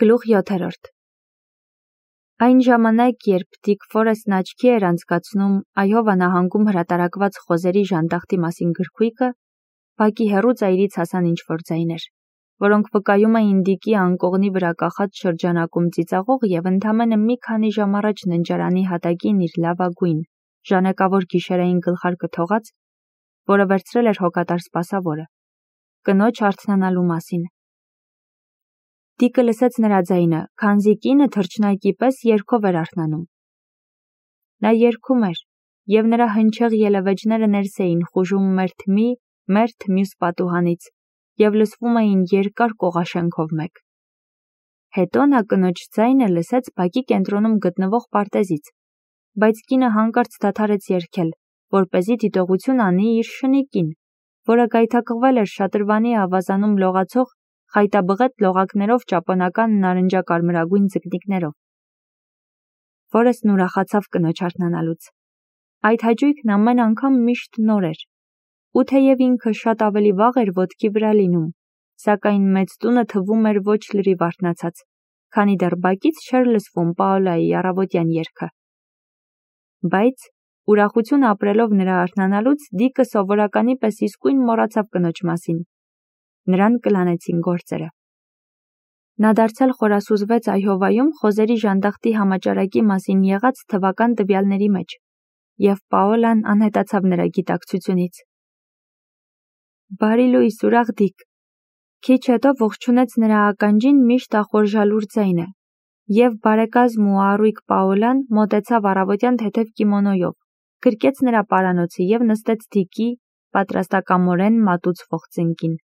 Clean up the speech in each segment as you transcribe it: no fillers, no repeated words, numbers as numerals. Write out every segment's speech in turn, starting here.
Գլուխ 7. Այն ժամանակ, երբ Դիկ Ֆորեսթն աչքի էր անցկացնում Այովա նահանգում հրատարակված խոզերի ժանդախտի մասին գրքույկը, բակի հեռու ծայրից հասան ինչ-որ ձայներ, որոնք վկայում էին Դիկի անկողնի վրա կախած շրջանակում ծիծաղող և ընդամենը մի քանի ժամ առաջ ննջարանի հատակին իր լավագույն, ժանեկավոր գիշերային գլխարկը թողած, որը վերցրել էր հոգատար սպասավորը, կնոջ արթնանալու մասին։ Դիկը լսեց նրա ձայնը, քանզի կինը թռչնակի պես երգով էր արթնանում։ Նա երգում էր, և նրա հնչեղ ելևէջները ներս էին խուժում մերթ մյուս պատուհանից և լսվում էին երկար կողաշենքով մեկ։ Հետո նա կնոջ ձայնը լսեց բակի կենտրոնում գտնվող պարտեզից, բայց կինը հանկարծ դադարեց երգել, որպեսզի դիտողություն անի իր շնիկին, որը գայթակղվել էր շատրվանի ավազանում լողացող խայտաբղետ լողակներով ճապոնական նարնջակարմրագույն ձկնիկներով։ Ֆորեսթն ուրախացավ կնոջ արթնանալուց։ Այդ հաճույքն ամեն անգամ միշտ նոր էր, ու թեև ինքը շատ ավելի վաղ էր ոտքի վրա լինում, սակայն մեծ տունը թվում էր ոչ լրիվ արթնացած, քանի դեռ բակից չէր լսվում Պաոլայի առավոտյան երգը։ Բայց ուրախություն ապրելով նրա արթնանալուց Դիկը սովորականի պես իսկույն մոռացավ կնոջ մասին։ Նրան կլանեցին գործերը։ Նա դարձյալ խորասուզվեց Այովայում խոզերի ժանդախտի համաճարակի մասին եղած թվական տվյալների մեջ, և Պաոլան անհետացավ նրա գիտակցությունից։ Բարի լույս, ուրախ Դիկ։ Քիչ հետո ողջունեց նրա ականջին միշտ ախորժալուր ձայնը, և բարեկազմ ու առույգ Պաոլան մոտեցավ առավոտյան թեթև կիմոնոյով, գրկեց նրա պարանոցը և նստեց Դիկի պատրաստակամորեն մատուցվող ծնկին։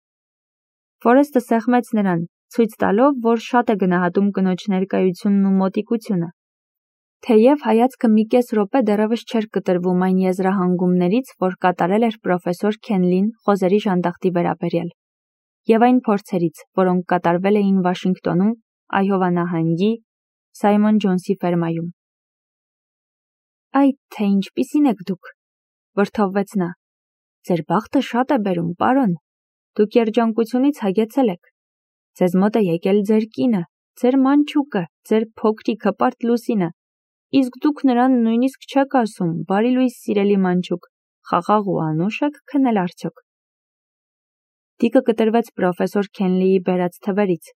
Ֆորեսթը սեղմեց նրան, ցույց տալով, որ շատ է գնահատում կնոջ ներկայությունն ու մոտիկությունը։ Թեև հայացքը մի կես րոպե դեռևս չէր կտրվում այն եզրահանգումներից, որ կատարել էր պրոֆեսոր Քենլին խոզերի ժանդախտի վերաբերյալ, և այն փորձերից, որոնք կատարվել էին Վաշինգտոնում, Այովա նահանգի Սայմոն Ջոնսի ֆերմայում։ Այ թե ինչպիսին եք դուք, վրդովվեց նա։ Ձեր բախտը շատ է բերում, պարոն։ Դուք երջանկությունից հագեցել եք։ Ձեզ մոտ է եկել ձեր կինը, ձեր մանչուկը, ձեր փոքրիկ հպարտ Լուսինը, իսկ դուք նրան նույնիսկ չեք ասում, բարի լույս սիրելի մանչուկ, խաղաղ ու անուշ եք քնել արդյոք։ Դիկը կտրվեց պրոֆեսոր Քենլիի բերած թվերից,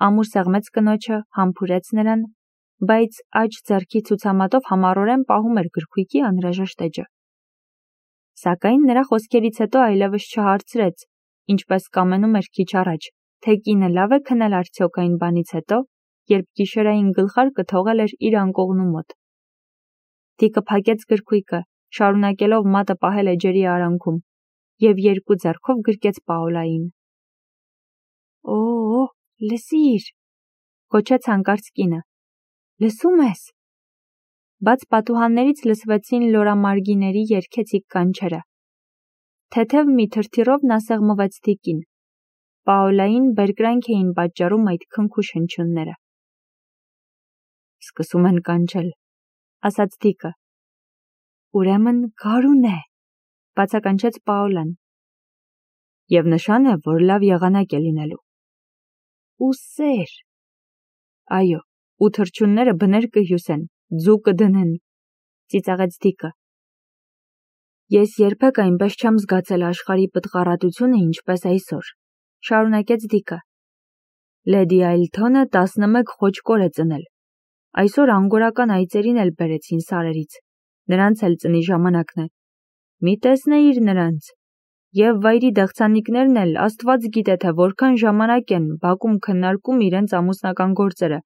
ամուր սեղմեց կնոջը, համբուրեց նրան, բայց աջ ձեռքի ցուցամատով համառորեն պահում էր գրքույկի անհրաժեշտ էջը։ Սակայն նրա խոսքերից հետո այլևս չհարցրեց, ինչպես կամենում էր քիչ առաջ, թե կինը լավ է քնել արդյոք այն բանից հետո, երբ գիշերային գլխարկը թողել էր իր անկողնու մոտ։ Դիկը փակեց գրքույկը, շարունակելով մատը պահել էջերի արանքում, և երկու ձեռքով գրկեց Պաոլային։ Օ, լսիր, գոչեց հանկարծ կինը։ Լսում ես։ Բաց պատուհաններից լսվեցին լորամարգիների երգեցիկ կանչերը։ Թեթև մի թրթիռով նա սեղմվեց Դիկին։ Պաոլային բերկրանք էին պատճառում այդ քնքուշ հնչյունները։ Սկսում են կանչել, ասաց Դիկը։ Ուրեմն գարուն է, բացականչեց Պաոլան։ Եվ նշան է, որ լավ եղանակ է լինելու։ Ու սեր։ Այո, ու թռչունները բներ կհյուսեն, ձու կդնեն, ծիծաղեց Դիկը։ Ես երբեք այնպես չեմ զգացել աշխարհի պտղառատությունը, ինչպես այսօր, շարունակեց Դիկը։ Լեդի Այլթոնը 11 խոճկոր է ծնել։ Այսօր անգորական այծերին էլ բերեցին սարերից, նրանց էլ ծնի ժամանակն է։ Մի տեսնեիր նրանց։ Եվ վայրի դեղցանիկներն էլ Աստված գիտե, թե որքան ժամանակ են բակում քննարկում իրենց ամուսնական գործերը։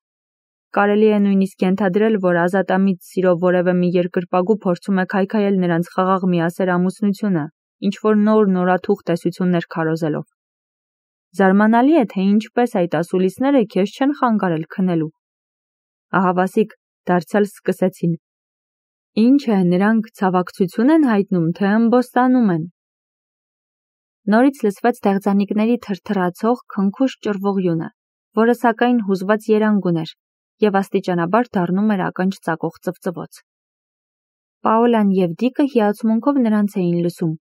Կարելի է նույնիսկ ենթադրել, որ ազատամիտ սիրով որևէ մի երկրպագու փորձում է քայքայել նրանց խաղաղ միասեր ամուսնությունը, ինչ-որ նորաթուխ տեսություններ քարոզելով։ Զարմանալի է, թե ինչպես այդ ասուլիսները քեզ չեն խանգարել քնելու։ Ահավասիկ, դարձյալ սկսեցին։ Ինչ է, նրանք ցավակցություն են հայտնում, թե ըմբոստանում են։ Նորից լսվեց դեղձանիկների թրթռացող, քնքուշ ճռվողյունը, որը սակայն հուզված երանգ ուներ, և աստիճանաբար դառնում էր ականջ ծակող ծվծվոց։ Պաոլան և Դիկը հիացմունքով նրանց էին լսում,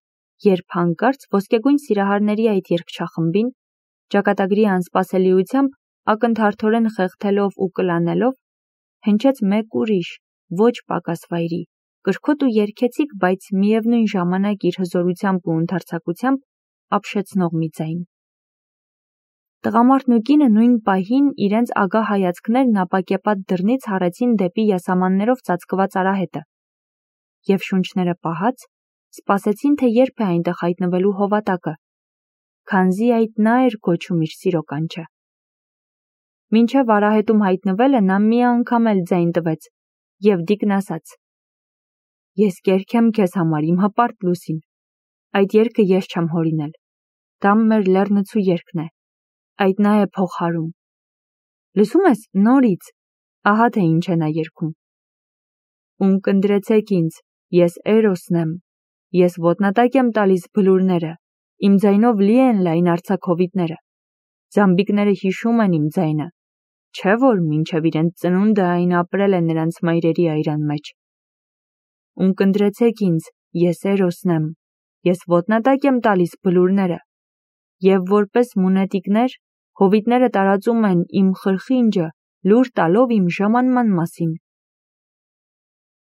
երբ հանկարծ ոսկեգույն սիրահարների այդ երգչախմբին ճակատագրի անսպասելիությամբ ակնթարթորեն խեղդելով ու կլանելով, հնչեց մեկ ուրիշ, ոչ պակաս վայրի, կրքոտ ու երգեցիկ, բայց միևնույն ժամանակ իր հզորությամբ ու ընդարձակությամբ ապշեցնող մի ձայն։ Տղամարդն ու կինը նույն պահին իրենց ագահ հայացքներն ապակեպատ դռնից հառեցին դեպի յասամաններով ծածկված արահետը և շունչները պահած սպասեցին, թե երբ է այնտեղ հայտնվելու հովատակը, քանզի այդ նա էր կոչում իր սիրո կանչը։ Մինչև արահետում հայտնվելը նա մի անգամ էլ ձայն տվեց և Դիկն ասաց. «Ես կերքեմ քեզ համար իմ հպարտ լուսին, այդ երգը ես չեմ հորինել, դա մեր լեռնցու երգն է, այդ նա է փողհարում։ Լսում ես, նորից, ահա թե ինչ է նա երգում. Ունկնդրեցեք ինձ, ես Էրոսն եմ, ես ոտնատակ եմ տալիս բլուրները, իմ ձայնով լի են լայն արձակհովիտները, զամբիկները հիշում են իմ ձայնը, չէ որ մինչև իրենց ծնունդը այն ապրել է նրանց մայրերի այրան մեջ։ Ունկնդրեցեք ինձ, ես Էրոսն եմ, ես ոտնատակ եմ տալիս բլուրները, և որպես մունետիկներ, հովիտները տարածում են իմ խրխինջը, լուր տալով իմ ժամանման մասին»։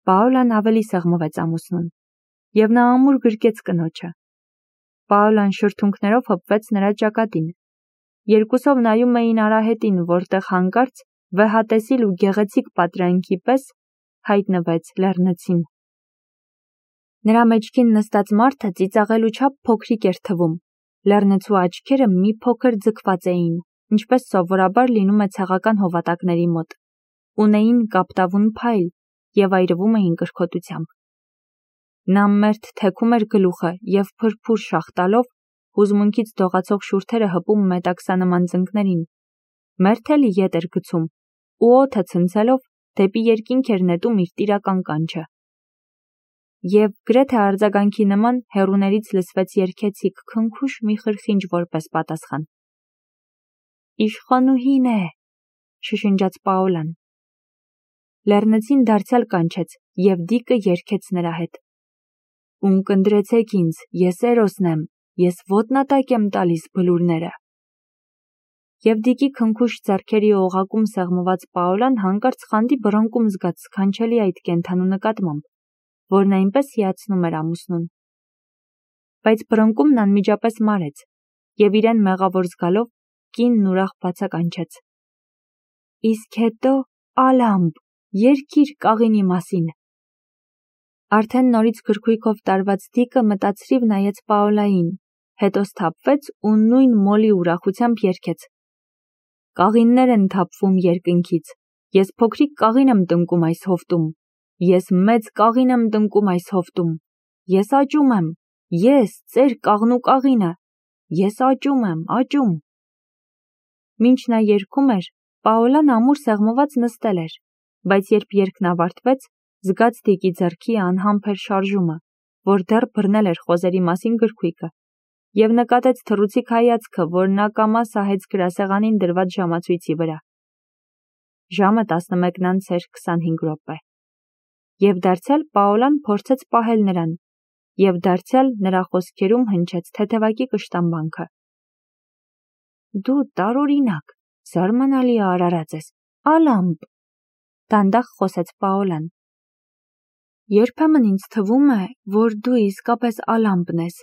Պաոլան ավելի սեղմվեց ամուսնուն, և նա ամուր գրկեց կնոջը։ Պաոլան շրթունքներով հպվեց նրա ճակատին։ Երկուսով նայում էին արահետին, որտեղ հանկարծ վեհատեսիլ ու գեղեցիկ պատրանքի պես հայտնվեց լեռնցին։ Նրա մեջքին նստած մարդը ծիծաղելու չափ փոքրիկ էր թվում, լեռնցու աչքերը մի փոքր ձգված էին, ինչպես սովորաբար լինում է ցեղական հովատակների մոտ, ունեին կապտավուն փայլ և այրվում էին կրքոտությամբ։ Նա մերթ թեքում էր գլուխը և փրփուր շաղ տալով հուզմունքից դողացող շուրթերը հպում մետաքսանման ծնկներին, մերթ էլի ետ էր գցում ու օդը ցնցելով դեպի երկինք էր նետում իր տիրական կանչը։ Եվ գրեթե արձագանքի նման հեռուներից լսվեց երգեցիկ քնքուշ մի խրխինջ որպես պատասխան։ «Իշխանուհին է», շշնջաց Պաոլան։ Լեռնցին դարձյալ կանչեց և Դիկը երգեց նրա հետ. «Ունկնդրեցեք ինձ, ես Էրոսն եմ, ես ոտնատակ եմ տալիս բլուրները»։ Եվ Դիկի քնքուշ ձեռքերի օղակում սեղմված Պաոլան հանկարծ խանդի բռնկում զգաց սքանչելի այդ կենդանու նկատմամբ, որն այնպես հիացնում էր ամուսնուն։ Բայց բռնկումն անմիջապես մարեց, և իրեն մեղավոր զգալով կինն ուրախ բացականչեց. «Իսկ հետո ալամպ, երգիր կաղինի մասին»։ Արդեն նորից գրքույկով տարված Դիկը մտածրիվ նայեց Պաոլային, հետո սթափվեց ու նույն մոլի ուրախությամբ երգեց. «Կաղիններ են թափվում երկնքից, ես փոքրիկ կաղին եմ տնկում այս հովտում, ես մեծ կաղին եմ տնկում այս հովտում, ես աճում եմ, ես, ծեր կաղնու կաղինը, ես աճում եմ, աճում»։ Մինչ նա երգում էր, Պաոլան ամուր սեղմված նստել էր, բայց երբ երգն ավարտվեց, զգաց Դիկի ձեռքի անհամբեր շարժումը, որ դեռ բռնել էր խոզերի մասին գրքույկը, և նկատեց թռուցիկ հայացքը, որ նա կամա սահեց գրասեղանին դրված ժամացույցի վրա։ Ժամը 11:25 Եվ դարձյալ Պաոլան փորձեց պահել նրան, և դարձյալ նրա խոսքերում հնչեց թեթևակի կշտամբանքը. «Դու տարօրինակ, զարմանալի արարած ես, ալամպ», դանդաղ խոսեց Պաոլան։ «Երբեմն ինձ թվում է, որ դու իսկապես ալամպն ես,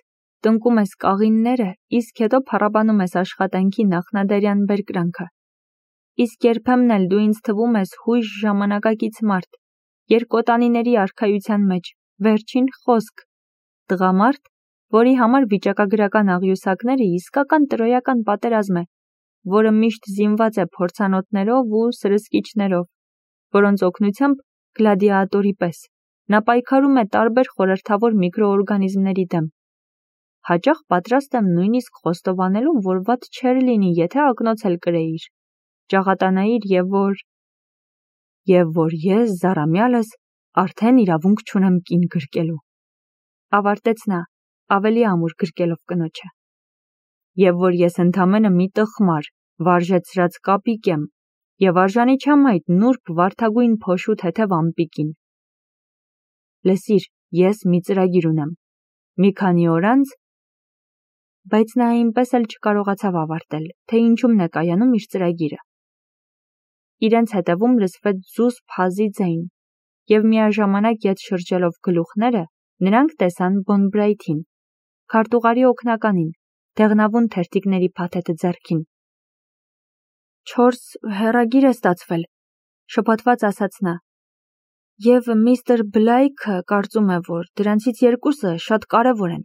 տնկում ես կաղինները, իսկ հետո փառաբանում ես աշխատանքի նախնադարյան բերկրանքը։ Իսկ երբեմն էլ դու ինձ թվում ես հույժ ժամանակակից մարդ, երկոտանիների արքայության մեջ, վերջին խոսք, տղամարդ, որի համար վիճակագրական աղյուսակները իսկական տրոյական պատերազմ է, որը միշտ զինված է փորձանոթներով ու սրսկիչներով, որոնց օգնությամբ գլադիատորի պես նա պայքարում է տարբեր խորհրդավոր միկրոօրգանիզմների դեմ։ Հաճախ պատրաստ եմ նույնիսկ խոստովանելու, որ վատ չէր լինի, եթե ակնոց էլ կրեիր, ճաղատանայիր և որ ես զառամյալս արդեն իրավունք չունեմ կին գրկելու, ավարտեց նա, ավելի ամուր գրկելով կնոջը, և որ ես ընդամենը մի տխմար, վարժեցրած կապիկ եմ, և արժանի չեմ այդ նուրբ վարդագույն փոշու թեթև ամպիկին։ Լսիր, ես մի ծրագիր ունեմ, մի քանի օր անց… Բայց նա այնպես էլ չկարողացավ ավարտել, թե ինչումն է կայանում իր ծրագիրը։ իրենց հետևում լսվեց զուսպ հազի ձայն, և միաժամանակ ետ շրջելով գլուխները, նրանք տեսան Բոնբրայթին, քարտուղարի օգնականին, դեղնավուն թերթիկների փաթեթը ձեռքին։ «Չորս հեռագիր է ստացվել», շփոթված ասաց նա, «և միստր Բլայքը կարծում է, որ դրանցից երկուսը շատ կարևոր են։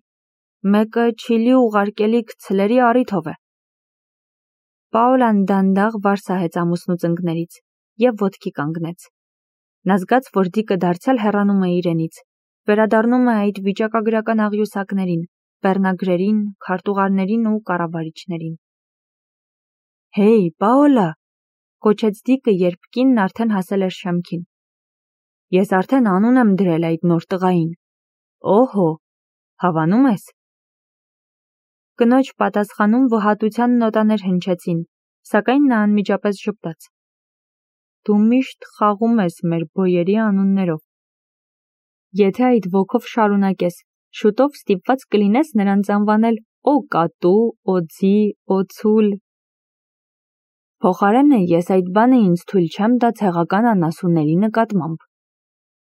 Մեկը Չիլի ուղարկելիք ցլերի առիթով է»։ Պաոլան դանդաղ վարսահեց ամուսնու ծնկներից և ոտքի կանգնեց։ Նա զգաց, որ Դիկը դարձյալ հեռանում է իրենից, վերադառնում է այդ վիճակագրական աղյուսակներին, բեռնագրերին, քարտուղարներին ու կառավարիչներին։ «Հեյ, Պաոլա», կոչեց Դիկը, երբ կինն արդեն հասել էր շեմքին։ «Ես արդեն անուն եմ դրել այդ նոր տղային։ Օհո, հավանում ես»։ Կնոջ պատասխանում վհատության նոտաներ հնչեցին, սակայն նա անմիջապես ժպտաց։ «Դու միշտ խաղում ես մեր բոյերի անուններով։ Եթե այդ ոգով շարունակես, շուտով ստիպված կլինես նրանց անվանել Օկատու, Օձի, Օցուլ։ Փոխարենը ես այդ բանը ինձ թույլ չեմ տա ցեղական անասունների նկատմամբ»,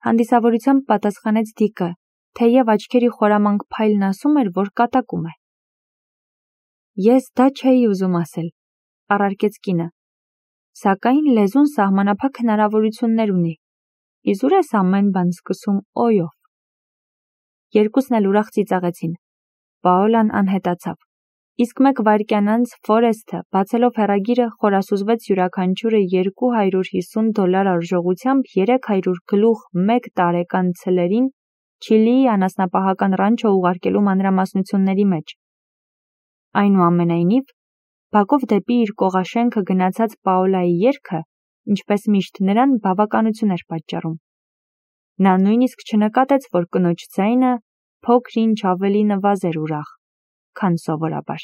հանդիսավորությամբ պատասխանեց Դիկը, թեև աչքերի խորամանկ փայլն ասում էր, որ կատակում է։ «Ես դա չէի ուզում ասել», առարկեց կինը, «սակայն լեզուն սահմանափակ հնարավորություններ ունի։ Իզուր ես ամեն բան սկսում օյով»։ Երկուսն էլ ուրախ ծիծաղեցին։ Պաոլան անհետացավ, իսկ մեկ վայրկյան անց Ֆորեսթը, բացելով հեռագիրը, խորասուզվեց յուրաքանչյուրը $250 արժողությամբ 300 գլուխ 1 տարեկան ցլերին Չիլիի անասնապահական ռանչո ուղարկելու մանրամասնությունների մեջ։ Այնուամենայնիվ, բակով դեպի իր կողաշենքը գնացած Պաոլայի ելքը, ինչպես միշտ, նրան բավականություն էր պատճառում։ Նա նույնիսկ չնկատեց, որ կնոջ ձայնը փոքր ինչ ավելի նվազ էր ուրախ, քան սովորաբար։